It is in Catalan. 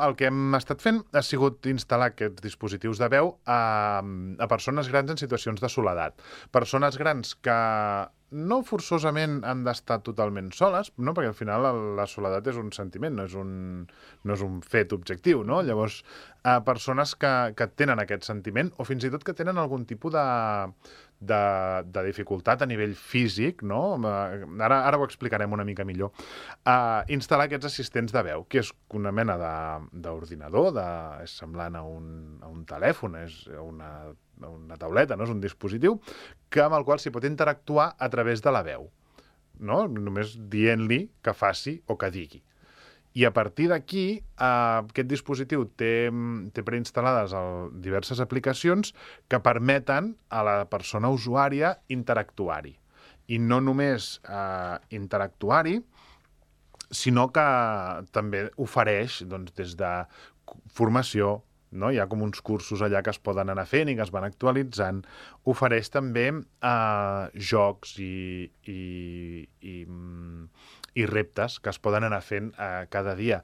El que hem estat fent ha sigut instal·lar aquests dispositius de veu a persones grans en situacions de soledat. Persones grans que no forçosament han d'estar totalment soles, no? Perquè al final la soledat és un sentiment, no és un fet objectiu, no? Llavors, persones que tenen aquest sentiment o fins i tot que tenen algun tipus de dificultat a nivell físic, no? Ara ho explicarem una mica millor. Instal·lar aquests assistents de veu, que és una mena d'ordinador, és semblant a un telèfon, és una tauleta, no? És un dispositiu amb el qual s'hi pot interactuar a través de la veu, no? Només dient-li que faci o que digui. I a partir d'aquí, aquest dispositiu té preinstal·lades diverses aplicacions que permeten a la persona usuària interactuar-hi. I no només interactuar-hi, sinó que també ofereix, doncs, des de formació, no? Hi ha com uns cursos allà que es poden anar fent i que es van actualitzant. Ofereix també jocs i reptes que es poden anar fent cada dia.